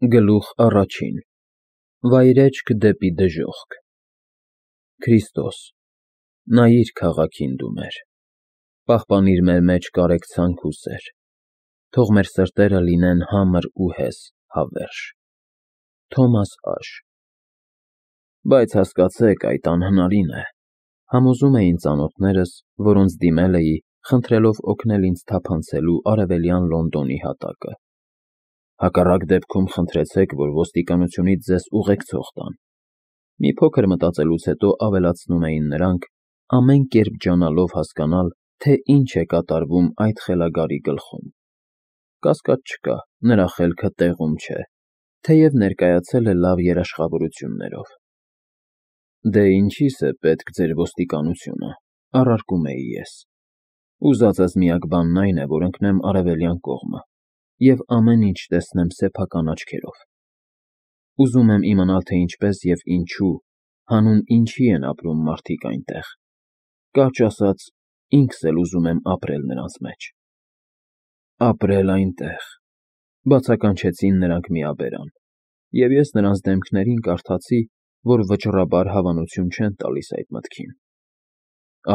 Գլուխ առաջին Վայրեջք դեպի դժոխք Քրիստոս, նայիր քաղաքին դու մեր, պահպանիր մեր մեջ կարեկցանք ու սեր, թող մեր սրտերը լինեն համր ու հես հավերժ։ Թոմաս Աշ Բայց հասկացեք, այդ անհնարին է, համոզում էին ծանոթներս, որոնց դիմել էի, խնդրելով օգնել ինձ թափանցելու արևելյան Լոնդոնի հատակը։ Հակառակ դեպքում խնդրեցեք, որ ոստիկանությունից ձեզ ուղեկցող տան։ Մի փոքր մտածելուց հետո ավելացնում էին նրանք, ամեն կերպ ջանալով հասկանալ, թե ինչ է կատարվում այդ խելագարի գլխում։ Կասկած չկա, նրա խելքը տեղում չէ, թեև ներկայացել է լավ երաշխավորություններով։ Դե ինչի՞ս է պետք ձեր ոստիկանությունը, առարկում էի ես։ Ուզածս միակ բանն այն է, որ ընկնեմ արևելյան կողմը և ամեն ինչ տեսնեմ սեփական աչքերով։ Ուզում եմ իմանալ, թե ինչպես և ինչու, հանուն ինչի են ապրում մարդիկ այնտեղ։ Կարճ ասած, ինքս էլ ուզում եմ ապրել նրանց մեջ։ Ապրել այնտեղ, բացականչեցին նրանք միաբերան, և ես նրանց դեմքերին կարդացի, որ վճռաբար հավանություն չեն տալիս այդ մտքին։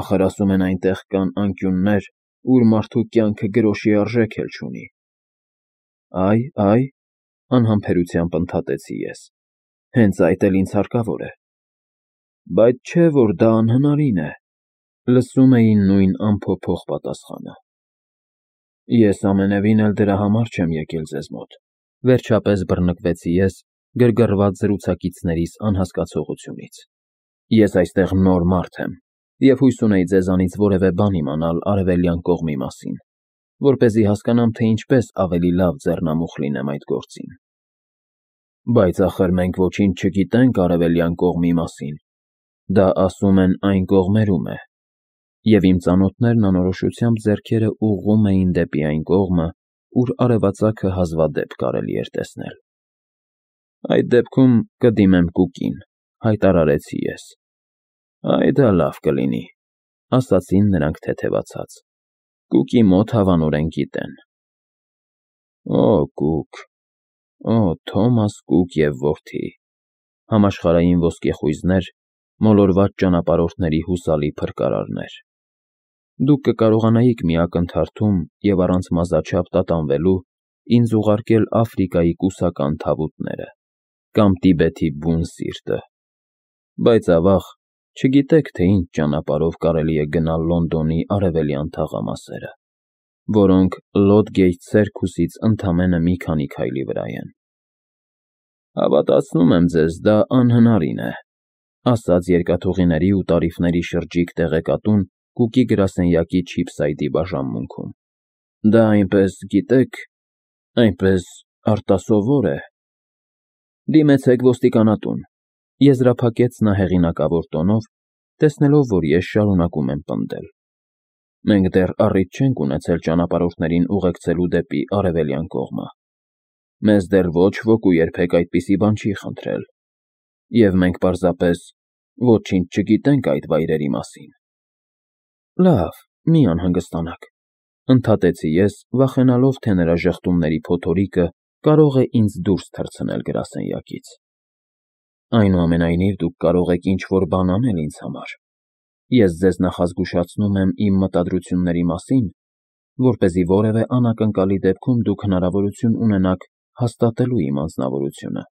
Ախր ասում են այնտեղ կան անկյուններ, ուր մարդու կյանքը գրոշի արժեք էլ չունի։ Այ, անհամբերությամբ ընդհատեցի ես, հենց այդ էլ ինձ հարկավոր է։ Բայց չէ, որ դա անհնարին է, լսում էի նույն անփոփոխ պատասխանը։ Ես ամենևին էլ դրա համար չեմ եկել ձեզ մոտ, վերջապես բռնկվեցի ես գրգռված զրուցակիցներիս անհասկացողությունից։ Ես այստեղ նոր մարդ եմ, և հույս ունեի ձեզանից որևէ բան իմանալ արևելյան կողմի մասին, որպեսզի հասկանամ, թե ինչպես ավելի լավ ձեռնամուխ լինեմ այդ գործին։ Բայց ախր մենք ոչինչ չգիտենք արևելյան կողմի մասին, դա ասում են այն կողմերում է, և իմ ծանոթներն անորոշությամբ ձեռքերը ուղղում էին դեպի այն կողմը, ուր արևածագը հազվադեպ կարելի էր տեսնել։ Այդ դեպքում կդիմեմ Կուկին, հայտարարեցի ես։ Այ դա լավ կլինի, ասացին նրանք թեթևացած։ Կուկի մոտ հավանորեն գիտեն։ Օ, Կուկ, օ, Թոմաս Կուկ և որդի, համաշխարհային ոսկեխույզներ, մոլորված ճանապարհորդների հուսալի փրկարարներ։ Դուք կկարողանայիք մի ակնթարթում և առանց մազաչափ տատանվելու ինձ ուղարկել Աֆրիկայի կուսական թավուտները կամ Տիբեթի բուն սիրտը։ Բայց ավաղ, չգիտեք, թե ինչ ճանապարհով կարելի է գնալ Լոնդոնի արևելյան թաղամասերը, որոնք Լոդգեյթ Սերքուսից ընդամենը մի քանի քայլի վրա են։ Հավատացնում եմ ձեզ, դա անհնարին է, ասաց երկաթուղիների ու տարիֆների շրջիկ տեղեկատուն Կուկի գրասենյակի չիփսայդի բաժանմունքում։ Դա այնպես, գիտեք, այնպես արտասովոր է։ Դիմեցեք ոստիկանատուն, եզրափակեց նա հեղինակավոր տոնով, տեսնելով, որ ես շարունակում եմ պնդել։ Մենք դեռ առիթ չենք ունեցել ճանապարհորդներին ուղեկցելու դեպի արևելյան կողմը։ Մեզ դեռ ոչ ոք ու երբեք այդպիսի բան չի խնդրել, և մենք պարզապես ոչինչ չգիտենք այդ վայրերի մասին։ Լավ, մի անհանգստանաք, ընդհատեցի ես, վախենալով, թե նրա ժխտումների փոթորիկը կարող է ինձ դուրս թռցնել գրասենյակից։ Այնուամենայնիվ դուք կարող եք ինչ-որ բան անել ինձ համար։ Ես ձեզ նախազգուշացնում եմ իմ մտադրությունների մասին, որպեսզի որևէ անակնկալի դեպքում դուք հնարավորություն ունենաք հաստատելու իմ անձնավորությունը։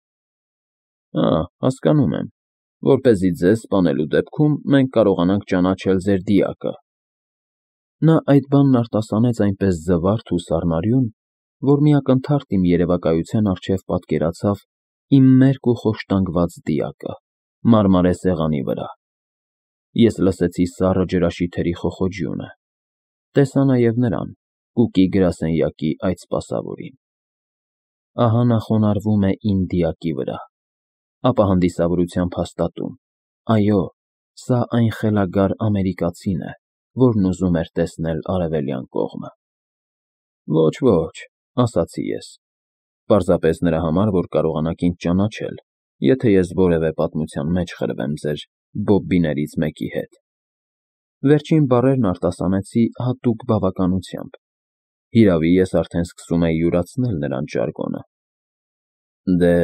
Հասկանում եմ, որպեսզի ձեզ սպանելու դեպքում մենք կարողանանք ճանաչել ձեր դիակը։ Նա այդ բանն արտասանեց այնպես զվարթ ու սառնարյուն, որ մի ակնթարթ իմ երևակայության առջև պատկերացավ իմ մերկ ու խոշտանգված դիակը մարմարե սեղանի վրա։ Ես լսեցի սառը ջրաշիթերի խոխոջյունը, տեսա նաև նրան, Կուկի գրասենյակի այդ սպասավորին։ Ահա նա խոնարհվում է իմ դիակի վրա, ապա հանդիսավորությամբ հաստատում. այո, սա այն խելագար ամերիկացին է, որն ուզում էր տեսնել արևելյան կողմը։ Ոչ, ասացի ես, պարզապես նրա համար, որ կարողանաք ինձ ճանաչել, եթե ես որևէ պատմության մեջ խրվեմ ձեր բոբբիներից մեկի հետ։ Վերջին բառերն արտասանեցի հատուկ բավականությամբ։ Հիրավի, ես արդեն սկսում էի յուրացնել նրանց ժարգոնը։ Դե,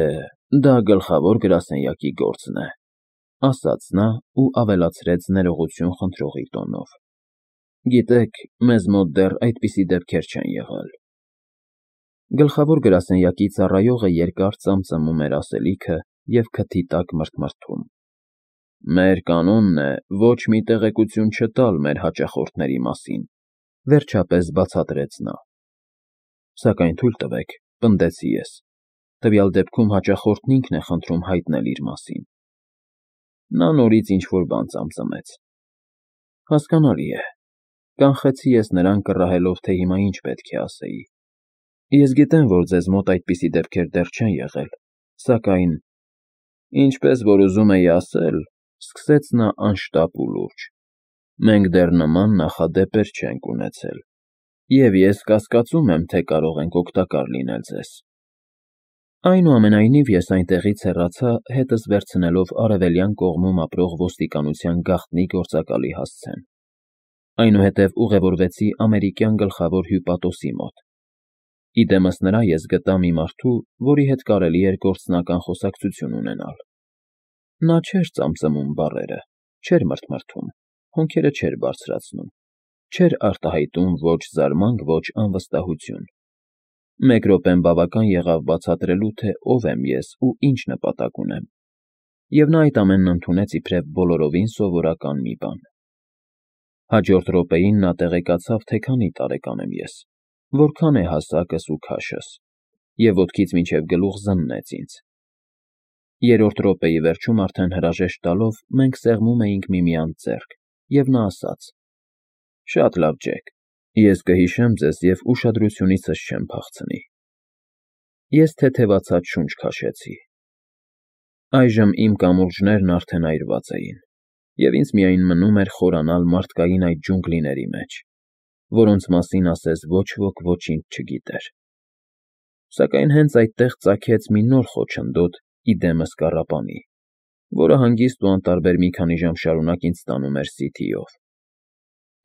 դա գլխավոր գրասենյակի գործն է, ասաց նա ու ավելացրեց ներողություն խնդրողի տոնով. Գիտեք, մեզ մոտ դեռ այդպիսի դեպքեր չեն եղել։ Գլխավոր գրասենյակի ծառայողը երկար ծամծմում էր ասելիքը և քթի տակ մրթմրթում։ Մեր կանոնն է ոչ մի տեղեկություն չտալ մեր հաճախորդների մասին, վերջապես բացատրեց նա։ Սակայն թույլ տվեք, պնդեցի ես, տվյալ դեպքում հաճախորդն ինքն է խնդրում հայտնել իր մասին։ Նա նորից ինչ-որ բան ծամծմեց։ Հասկանալի է, կանխեցի ես նրան կռահելով, թե հիմա ինչ պետք է ասեի։ Ես գիտեմ, որ ձեզ մոտ այդպիսի դեպքեր դեռ չեն եղել, սակայն, ինչպես որ ուզում էի ասել, սկսեց նա անշտապ ու լուրջ, մենք դեռ նման նախադեպեր չենք ունեցել, և ես կասկածում եմ, թե կարող ենք օգտակար լինել ձեզ։ Այնուամենայնիվ ես այնտեղից հեռացա, հետս վերցնելով արևելյան կողմում ապրող ոստիկանության գաղտնի գործակալի հասցեն։ Այնուհետև ուղևորվեցի ամերիկյան գլխավոր հյուպատոսի մոտ։ Իդեմս նրա ես գտա մի մարդու, որի հետ կարելի էր գործնական խոսակցություն ունենալ։ Նա չէր ծամծմում բառերը, չէր մրթմրթում, հոնքերը չէր բարձրացնում, չէր արտահայտում ոչ զարմանք, ոչ անվստահություն։ Մեկ րոպեն բավական եղավ բացատրելու, թե ով եմ ես ու ինչ նպատակ ունեմ, և նա այդ ամենն ընդունեց իբրև բոլորովին սովորական մի բան։ Հաջորդ րոպեին նա տեղեկացավ, թե քանի տարեկան եմ ես, որքան է հասակս ու քաշս, և ոտքից մինչև գլուխ զննեց ինձ։ Երրորդ րոպեի վերջում արդեն հրաժեշտ տալով մենք սեղմում էինք միմյանց ձեռք, և նա ասաց. Շատ լավ, Ջեք, ես կհիշեմ ձեզ և ուշադրությունիցս չեմ փախցնի։ Ես թեթևացած շունչ քաշեցի։ Այժմ իմ կամուրջներն արդեն այրված էին, և ինձ միայն մնում էր խորանալ մարդկային այդ ջունգլիների մեջ, որոնց մասին ասես ոչ ոք ոչինչ չգիտեր։ Սակայն հենց այդտեղ ծագեց մի նոր խոչընդոտ իդեմս կառապանի, որը հանգիստ ու անտարբեր մի քանի ժամ շարունակ ինձ տանում էր Սիթիով։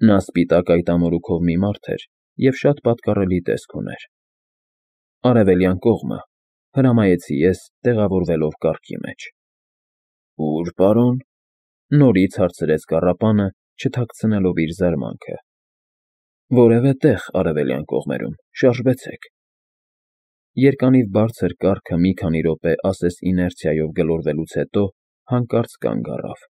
Նա սպիտակ այտամորուքով մի մարդ էր և շատ պատկառելի տեսք ուներ։ Արևելյան կողմը, հրամայեցի ես, տեղավորվելով կառքի մեջ։ Ո՞ւր, պարոն, նորից հարցրեց կառապանը, չթաքցնելով իր զարմանքը։ Որևէ տեղ արևելյան կողմերում, շարժվեցեք։ Երկանիվ բարձր կառքը մի քանի րոպե ասես իներցիայով գլորվելուց հետո հանկարծ կանգ առավ։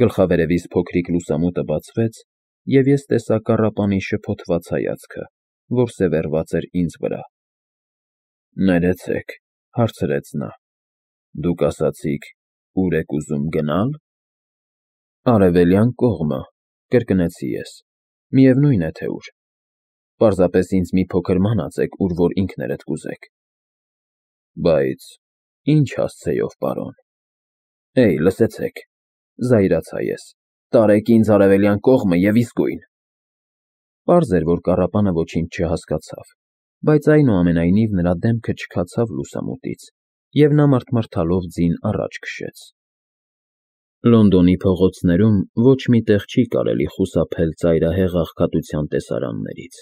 Գլխավերևից փոքրիկ լուսամուտը բացվեց, և ես տեսա կառապանի շփոթված հայացքը, որ սևեռված էր ինձ վրա։ Ներեցեք, հարցրեց նա, դուք ասացիք, ուր եք ուզում գնալ։ Արևելյան կողմը, կրկնեցի ես, միևնույն է, թե ուր։ Պարզապես ինձ մի փոքր մանացեք, ուր որ ինքներդ կուզեք։ Բայց ինչ հասցեով, պարոն։ Էй, լսեցեք, զայրացա ես, տարեք ինձ արևելյան կողմը և իսկույն։ Պարզ էր, որ կառապանը ոչինչ չհասկացավ, բայց այնուամենայնիվ նրա դեմքը չքացավ լուսամուտից, և նա մռթմռթալով ձին առաջ քշեց։ Լոնդոնի փողոցներում ոչ մի տեղ չի կարելի խուսափել ծայրահեղ աղքատության տեսարաններից։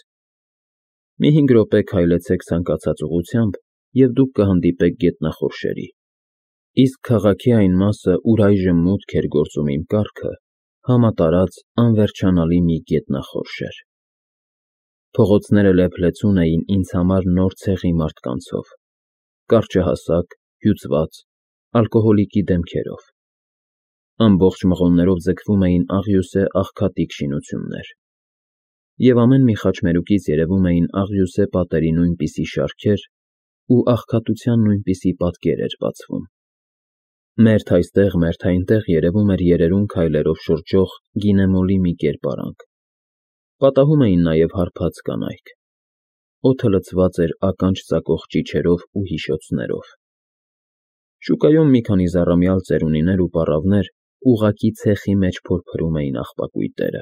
Մի 5 րոպե քայլեցեք ցանկացած ուղղությամբ, և դուք կհանդիպեք գետնախորշերի, իսկ քաղաքի այն մասը, ուր այժմ մուտք էր գործում իմ կառքը, համատարած անվերջանալի մի գետնախորշ էր։ Փողոցները լեփլեցուն էին ինձ համար նոր ցեղի մարդկանցով, կարճահասակ, հյուծված, ալկոհոլիկի դեմքերով։ Ամբողջ մղոններով ձգվում էին աղյուսե աղքատիկ շինություններ, և ամեն մի խաչմերուկից երևում էին աղյուսե պատերի նույնպիսի շարքեր ու աղքատության նույնպիսի պատկեր էր բացվում։ Մերթ այստեղ, մերթ այնտեղ երևում էր երերուն քայլերով շրջող գինեմոլի մի կերպարանք։ Պատահում էին նաև հարբած կանայք։ Օդը լցված էր ականջ ծակող ճիչերով ու հիշոցներով։ Շուկայում մի քանի զառամյալ ծերունիներ ու պառավներ ուղղակի ցեխի մեջ փորփրում էին աղբակույտերը,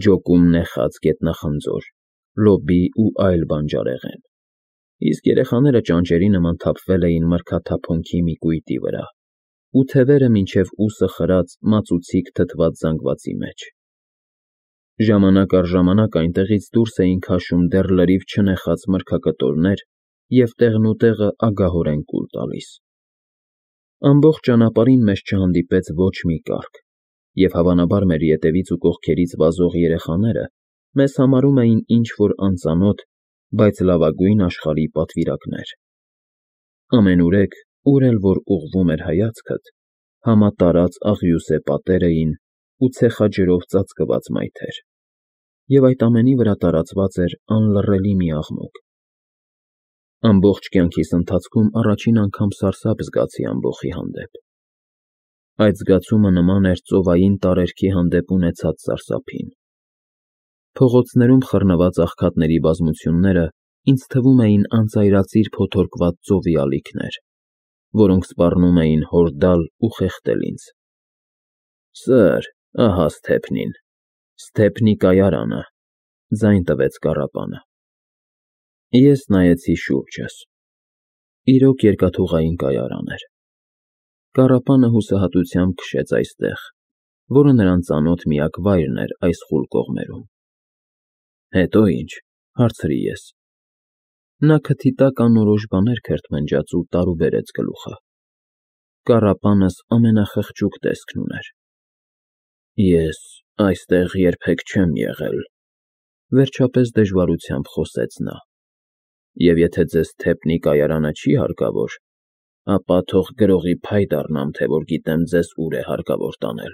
ջոկում նեխած գետնախնձոր, լոբի ու այլ բանջարեղեն, իսկ երեխաները ճանճերի նման թափվել էին մրգաթափոնքի մի կույտի վրա, ու թևերը մինչև ուսը խրած մածուցիկ թթված զանգվածի մեջ։ Ժամանակ առ ժամանակ այնտեղից դուրս էին քաշում դեռ լրիվ չնեխած մրգակտորներ և տեղնուտեղը ագահորեն կուլ տալիս։ Ամբողջ ճանապարհին մեզ չհանդիպեց ոչ մի կառք, և հավանաբար մեր ետևից ու կողքերից վազող երեխաները մեզ համարում էին ինչ-որ անծանոթ, բայց լավագույն աշխարհի պատվիրակներ։ Ամենուրեք, ուր էլ որ ուղղվում էր հայացքդ, համատարած աղյուսե պատեր էին ու ցեխաջրով ծածկված մայթեր, և այդ ամենի վրա տարածված էր անլռելի մի աղմուկ։ Ամբողջ կյանքիս ընթացքում առաջին անգամ սարսափ զգացի ամբոխի հանդեպ։ Այդ զգացումը նման էր ծովային տարերքի հանդեպ ունեցած սարսափին։ Փողոցներում խռնված աղքատների բազմությունները ինձ թվում էին անծայրածիր փոթորկված ծովի ալիքներ, որոնք սպառնում էին հորդալ ու խեղդել ինձ։ Սըր, ահա Սթեփնին, Սթեփնի կայարանը, ձայն տվեց կառապանը։ Ես նայեցի շուրջս։ Իրոք երկաթուղային կայարան էր։ Կառապանը հուսահատությամբ քշեց այստեղ, որը նրան ծանոթ միակ վայրն էր այս խուլ կողմերում։ Հետո ինչ, հարցրի ես։ Նա քթի տակ անորոշ բաներ քրթմնջաց ու տարուբերեց գլուխը։ Կառապանս ամենախղճուկ տեսքն ուներ։ Ես այստեղ երբեք չեմ եղել, վերջապես դժվարությամբ խոսեց նա։ Եվ եթե ձեզ Սթեփնի կայարանը չի հարկավոր, ապա թող գրողի փայ դառնամ, թե որ գիտեմ ձեզ ուր է հարկավոր տանել։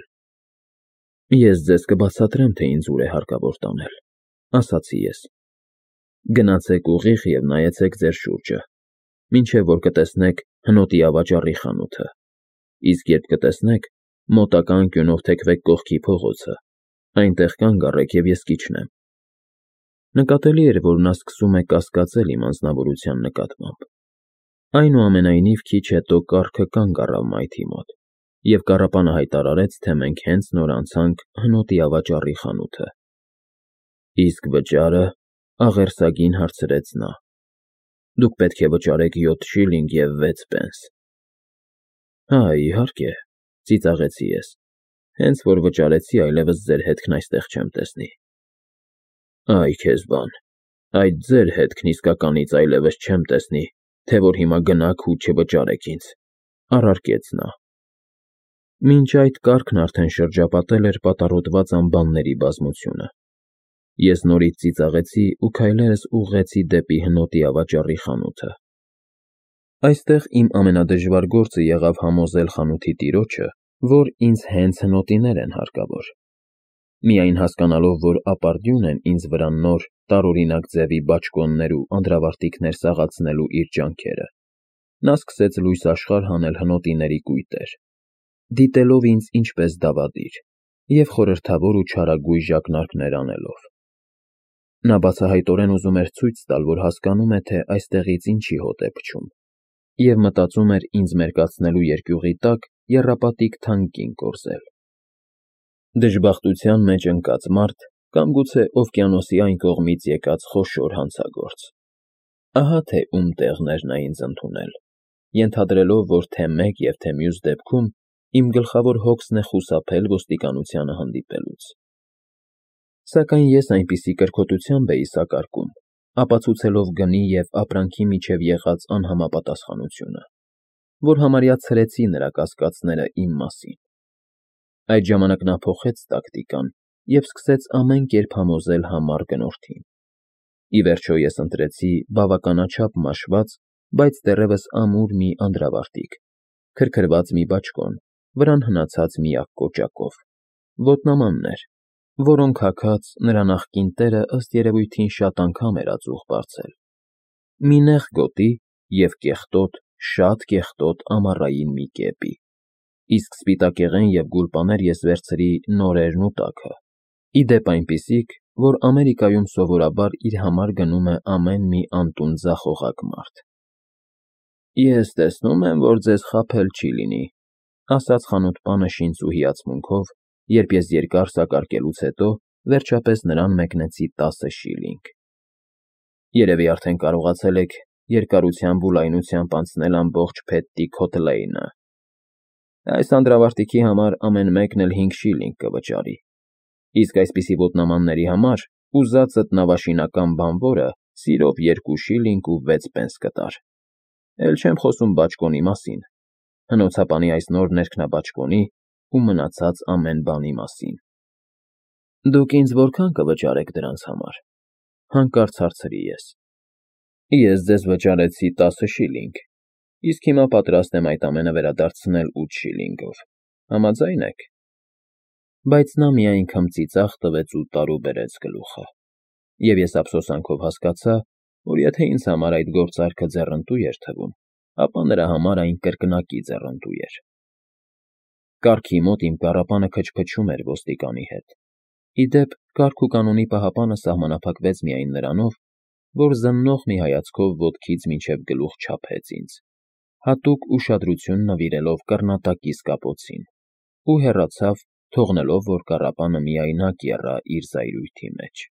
Ես ձեզ կբացատրեմ, թե ինձ ուր է հարկավոր տանել, ասացի ես։ Գնացեք ուղիղ և նայեցեք ձեր շուրջը, մինչև որ կտեսնեք հնոտի ավաճառի խանութը, իսկ երբ կտեսնեք, մոտակա անկյունով թեքվեք կողքի փողոցը, այնտեղ կանգ առեք և ես կիջնեմ։ Նկատելի էր, որ նա սկսում է կասկածել իմ անձնավորության նկատմամբ։ Այնուամենայնիվ քիչ հետո կառքը կանգ առավ մայթի մոտ, և կառապանը հայտարարեց, թե մենք հենց նոր անցանք հնոտի ավաճառի խանութը։ Իսկ վճարը, աղերսագին հարցրեց նա։ Դուք պետք է վճարեք 7 շիլինգ և 6 պենս։ Հա, իհարկե, ծիծաղեցի ես, հենց որ վճարեցի, այլևս ձեր հետքն այստեղ չեմ տեսնի։ Այ քեզ բան, այդ ձեր հետքն իսկականից այլևս չեմ տեսնի, թե որ հիմա գնաք ու չվճարեք ինձ, առարկեց նա։ Մինչ այդ կառքն արդեն շրջապատել էր պատառոտված ամբանների բազմությունը։ Ես նորից ծիծաղեցի ու քայլերս ուղղեցի դեպի հնոտի ավաճառի խանութը։ Այստեղ իմ ամենադժվար գործը եղավ համոզել խանութի տիրոջը, որ ինձ հենց հնոտիներ են հարկավոր։ Միայն հասկանալով, որ ապարդյուն են ինձ վրա նոր, տարօրինակ ձևի բաճկոններ ու անդրավարտիքներ սաղացնելու իր ջանքերը, նա սկսեց լույս աշխարհ հանել հնոտիների կույտեր, դիտելով ինձ ինչպես դավադիր և խորհրդավոր ու չարագույժ ակնարկներ անելով։ Նա բացահայտորեն ուզում էր ցույց տալ, որ հասկանում է, թե այստեղից ինչի հոտ է փչում, և մտածում էր ինձ մերկացնելու երկյուղի տակ եռապատիկ թանկ կին կորզել։ Դժբախտության մեջ ընկած մարդ կամ գուցե օվկիանոսի այն կողմից եկած խոշոր հանցագործ։ Ահա թե ում տեղն էր նա ինձ ընդունել, ենթադրելով, որ թե մեկ և թե մյուս դեպքում իմ գլխավոր հոգսն է խուսափել ոստիկանությանը հանդիպելուց։ Սակայն ես այնպիսի կրքոտությամբ էի սակարկում, ապացուցելով գնի և ապրանքի միջև եղած անհամապատասխանությունը, որ համարյա ցրեցի նրա կասկածները իմ մասին։ Այդ ժամանակ նա փոխեց տակտիկան և սկսեց ամեն կերպ համոզել համառ գնորդին։ Ի վերջո ես ընտրեցի բավականաչափ մաշված, բայց դեռևս ամուր մի անդրավարտիք, քրքրված մի բաճկոն, վրան հնացած միակ կոճակով, ոտնամաններ, որոնք հագած նրա նախկին տերը ըստ երևույթին շատ անգամ էր ածուխ բարձել, մի նեղ գոտի և կեղտոտ, շատ կեղտոտ ամառային մի կեպի, իսկ սպիտակեղեն և գուլպաներ ես վերցրի նորերն ու տաքը, ի դեպ այնպիսիք, որ Ամերիկայում սովորաբար իր համար գնում է ամեն մի անտուն ձախողակ մարդ։ Ես տեսնում եմ, որ ձեզ խաբել չի լինի, ասաց խանութպանը շինծու հիացմունքով, երբ ես երկար սակարկելուց հետո վերջապես նրան մեկնեցի 10 շիլինգ։ Երևի արդեն կարողացել եք երկարությամբ ու լայնությամբ անցնել ամբողջ Փետտի Քոթ Լեյնը։ Այս անդրավարտիքի համար ամեն մեկն էլ 5 շիլինգ կվճարի, իսկ այսպիսի ոտնամանների համար ուզածդ նավաշինական բանվորը Սիրով 2 շիլինգ ու 6 պենս կտար։ Էլ չեմ խոսում բաճկոնի մասին, հնոցապանի այս նոր ներքնաբաճկոնի ու մնացած ամեն բանի մասին։ Դուք ինձ որքան կվճարեք դրանց համար, հանկարծ հարցրի ես։ Ես ձեզ վճարեցի 10 շիլինգ, իսկ հիմա պատրաստ եմ այդ ամենը վերադարձնել 8 շիլինգով, համաձայն եք։ Բայց նա միայն քմծիծաղ տվեց ու տարուբերեց գլուխը, և ես ափսոսանքով հասկացա, որ եթե ինձ համար այդ գործարքը ձեռնտու էր թվում, ապա նրա համար այն կրկնակի ձեռնտու էր։ Կառքի մոտ իմ կառապանը քչփչում էր ոստիկանի հետ։ Ի դեպ, կարգ ու կանոնի պահապանը սահմանափակվեց միայն նրանով, որ զննող մի հայացքով ոտքից մինչև գլուխ չափեց ինձ, հատուկ ուշադրություն նվիրելով կռնատակիս կապոցին, ու հեռացավ, թողնելով, որ կառապանը միայնակ եռա իր զայրույթի մեջ։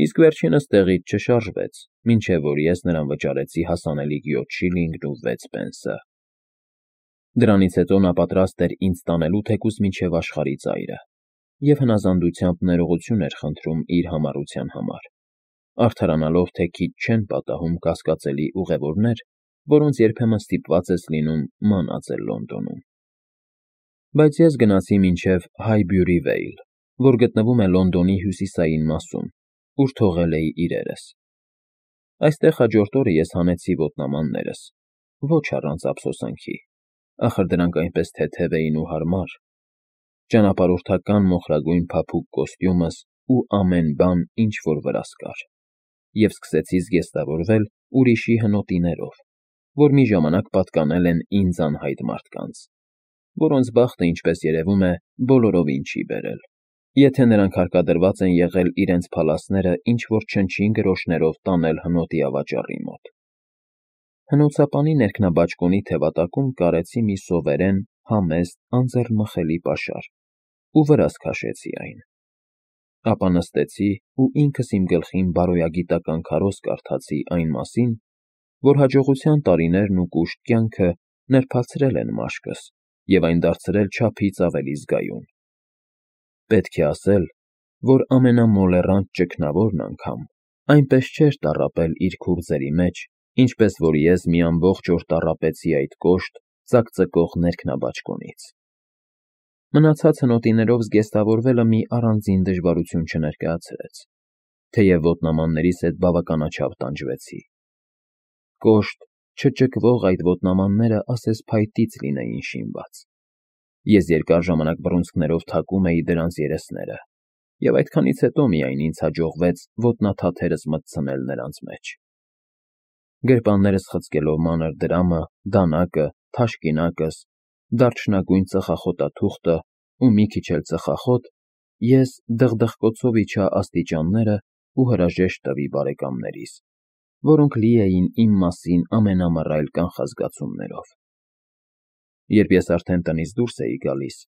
Իսկ վերջինս տեղից չշարժվեց, մինչև որ ես նրան վճարեցի հասանելիք 7 շիլինգն ու 6 պենսը։ Դրանից հետո նա պատրաստ էր ինձ տանելու թեկուզ մինչև աշխարհի ծայրը, և հնազանդությամբ ներողություն էր խնդրում իր համառության համար, արդարանալով, թե քիչ չեն պատահում կասկածելի ուղևորներ, որոնց երբեմն ստիպված ես լինում մանածել Լոնդոնում։ Բայց ես գնացի մինչև Հայբյուրի Վեյլ, որ գտնվում է Լոնդոնի հյուսիսային մասում, ուր թողել էի իրերս։ Այստեղ հաջորդ օրը ես հանեցի ոտնամաններս, ոչ առանց ափսոսանքի, ախր դրանք այնպես թեթև էին ու հարմար, ճանապարհորդական մոխրագույն փափուկ կոստյումս ու ամեն բան, ինչ որ վրաս կար, և սկսեցի զգեստավորվել ուրիշի հնոտիներով, որ մի ժամանակ պատկանել են ինձ անհայտ մարդկանց, որոնց բախտը, ինչպես երևում է, բոլորովին չի բերել, եթե նրանք հարկադրված են եղել իրենց փալասները ինչ-որ չնչին գրոշներով տանել հնոտի ավաճառի մոտ։ Հնոցապանի ներքնաբաճկոնի թևատակում կարեցի մի սովերեն, համեստ, անձեռնմխելի պաշար ու վրաս քաշեցի այն։ Ապա նստեցի ու ինքս իմ գլխին բարոյագիտական քարոզ կարդացի այն մասին, որ հաջողության տարիներն ու կուշտ կյանքը նրբացրել են մաշկս և այն դարձրել չափից ավելի զգայուն։ Պետք է ասել, որ ամենամոլեռանդ ճգնավորն անգամ այնպես չէր տառապել իր քուրձերի մեջ, ինչպես որ ես մի ամբողջ օր տառապեցի այդ կոշտ, ծակծկող ներքնաբաճկոնից։ Մնացած հնոտիներով զգեստավորվելը մի առանձին դժվարություն չներկայացրեց, թեև ոտնամաններիս հետ բավականաչափ տանջվեցի։ Կոշտ, չճկվող այդ ոտնամանները ասես փայտից լինեին շինված։ Ես երկար ժամանակ բռունցքներով թակում էի դրանց երեսները, և այդքանից հետո միայն ինձ հաջողվեց ոտնաթաթերս մտցնել նրանց մեջ։ Գրպաններս խցկելով մանր դրամը, դանակը, թաշկինակս, դարչնագույն ծխախոտաթուղթը ու մի քիչ էլ ծխախոտ, ես դղդղկոցով իջա աստիճանները ու հրաժեշտ տվի բարեկամներիս, որոնք լի էին իմ մասին ամենամռայլ կանխազգացումներով։ Երբ ես արդեն տնից դուրս էի գալիս,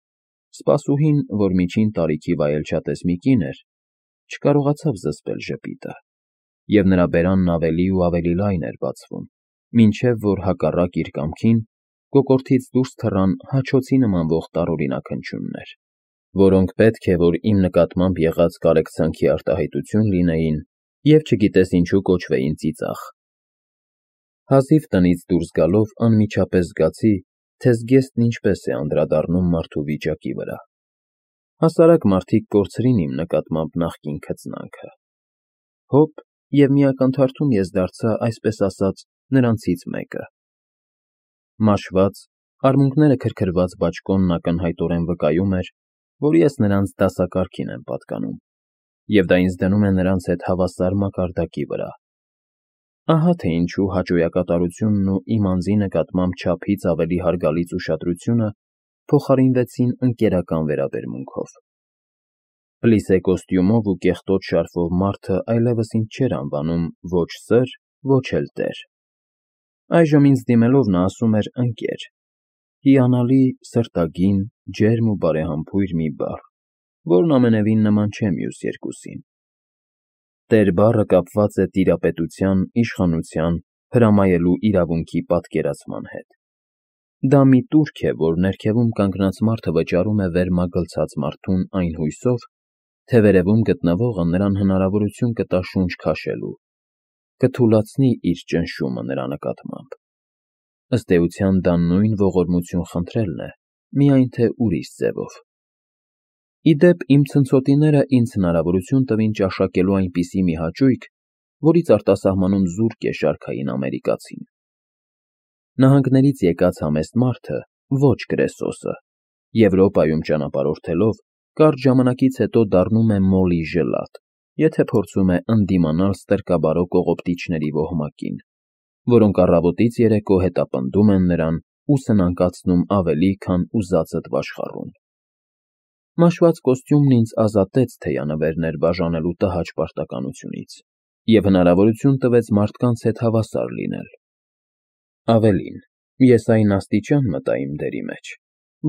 սպասուհին, որ միջին տարիքի վայելչատես մի կին էր, չկարողացավ զսպել ժպիտը, և նրա բերանն ավելի ու ավելի լայն էր բացվում, մինչև որ հակառակ իր կամքին կոկորդից դուրս թռան հաչոցի նմանվող տարօրինակ հնչյուններ, որոնք պետք է որ իմ նկատմամբ եղած կարեկցանքի արտահայտություն լինեին և չգիտես ինչու կոչվեին ծիծաղ։ Հազիվ տնից դուրս գալով անմիջապես զգացի, թե զգեստն ինչպես է անդրադառնում մարդու վիճակի վրա։ Հասարակ մարդիկ կորցրին իմ նկատմամբ նախկին քծնանքը։ Հոպ, և մի ակնթարթում ես դարձա, այսպես ասած, նրանցից մեկը։ Մաշված, արմունկները քրքրված բաճկոնն ակնհայտորեն վկայում էր, որ ես նրանց դասակարգին եմ պատկանում, և դա ինձ դնում է նրանց հետ հավասար մակարդակի վրա։ Ահա թե ինչու հաճոյակատարությունն ու իմ անձի նկատմամբ չափից ավելի հարգալից ուշադրությունը փոխարինվեցին ընկերական վերաբերմունքով։ Պլիսե կոստյումով ու կեղտոտ շարֆով մարդը այլևս ինձ չէր անվանում ոչ սըր, ոչ էլ տեր։ Այժմ ինձ դիմելով նա ասում էր ընկեր, հիանալի, սրտագին, ջերմ ու բարեհամբույր մի բառ, որն ամենևին նման չէ մյուս երկուսին։ Տեր բառը կապված է տիրապետության, իշխանության, հրամայելու իրավունքի պատկերացման հետ։ Դա մի տուրք է, որ ներքևում կանգնած մարդը վճարում է վերմագլցած մարդուն այն հույսով, թե վերևում գտնվողը նրան հնարավորություն կտա շունչ քաշելու կթուլացնի իր ճնշումը նրա նկատմամբ։ Ըստ էության դա նույն ողորմություն խնդրելն է, միայն թե ուրիշ ձևով։ Ի դեպ, իմ ցնցոտիները ինձ հնարավորություն տվին ճաշակելու այնպիսի մի հաճույք, որից արտասահմանում զուրկ է շարքային ամերիկացին։ Նահանգներից եկած համեստ մարդը, ոչ Կրեսոսը, Եվրոպայում ճանապարհորդելով, կարճ ժամանակից հետո դառնում է մոլի ժլատ, եթե փորձում է ընդդիմանալ ստրկաբարո կողոպտիչների ոհմակին, որոնք առավոտից երեկո հետապնդում են նրան ու սնանկացնում ավելի, քան ուզածդ վաշխառում։ Մաշված կոստյումն ինձ ազատեց թեյանվերներ բաժանելու տհաճ պարտականությունից և հնարավորություն տվեց մարդկանց հետ հավասար լինել։ Ավելին, ես այն աստիճան մտա իմ դերի մեջ,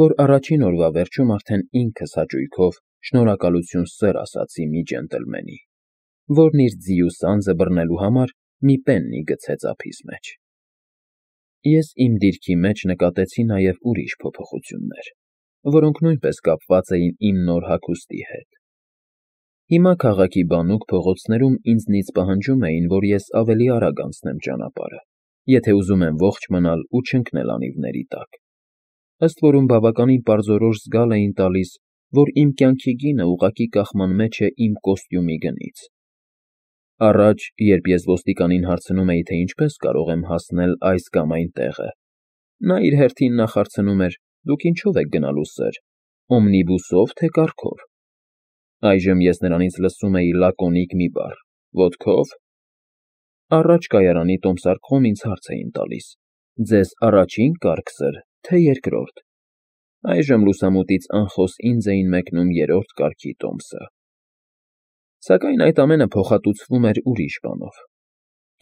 որ առաջին օրվա վերջում արդեն ինքս հաճույքով շնորհակալություն սըր ասացի մի ջենտլմենի, որն իր ձիու սանձը բռնելու համար մի պեննի գցեց ափիս մեջ։ Ես իմ դիրքի մեջ նկատեցի նաև ուրիշ փոփոխություններ, որոնք նույնպես կապված էին իմ նոր հագուստի հետ։ Հիմա քաղաքի բանուկ փողոցներում ինձնից պահանջում էին, որ ես ավելի արագ անցնեմ ճանապարհը, եթե ուզում եմ ողջ մնալ ու չընկնել անիվների տակ։ Ըստ որում բավականին պարզորոշ զգալ էին տալիս, որ իմ կյանքի գինը ուղղակի կախման մեջ է իմ կոստյումի գնից։ Առաջ, երբ ես ոստիկանին հարցնում էի, թե ինչպես կարող եմ հասնել այս կամ այն տեղը, նա իր հերթին նախարցնում էր. «Դուք ինչո՞վ եք գնալու, սըր, օմնիբուսով, թե կառքով»։ Այժմ ես նրանից լսում էի լակոնիկ մի բառ. «Ոտքով»։ Առաջ կայարանի տոմսարկղում ինձ հարց էին տալիս. «Ձեզ առաջին կառք, սըր, թե երկրորդ»։ Այժմ լուսամուտից անխոս ինձ էին մեկնում երրորդ կառքի տոմսը։ Սակայն այդ ամենը փոխհատուցվում էր ուրիշ բանով։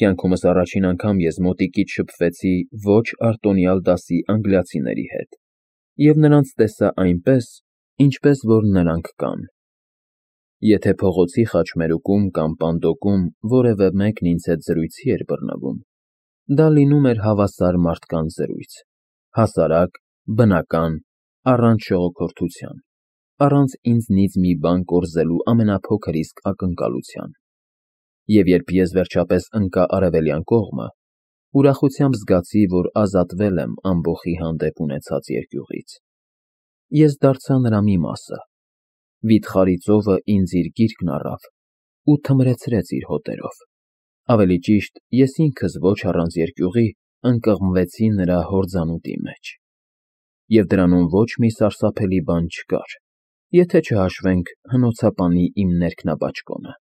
Կյանքումս առաջին անգամ ես մոտիկից շփվեցի ոչ արտոնյալ դասի անգլիացիների հետ և նրանց տեսա այնպես, ինչպես որ նրանք կան։ Եթե փողոցի խաչմերուկում կամ պանդոկում որևէ մեկն ինձ հետ զրույցի էր բռնվում, դա լինում էր հավասար մարդկանց զրույց, հասարակ, բնական, առանց շողոքորթության, առանց ինձնից մի բան կորզելու ամենափոքր իսկ ակնկալության։ Եվ երբ ես վերջապես ընկա արևելյան կողմը, ուրախությամբ զգացի, որ ազատվել եմ ամբոխի հանդեպ ունեցած երկյուղից։ Ես դարձա նրա մի մասը։ Վիթխարի ծովը ինձ իր գիրկն առավ ու թմրեցրեց իր հոտերով։ Ավելի ճիշտ, ես ինքս ոչ առանց երկյուղի ընկղմվեցի նրա հորձանուտի մեջ։ Եվ դրանում ոչ մի սարսափելի բան չկար, եթե չհաշվենք հնոցապանի իմ ներքնաբաճկոնը։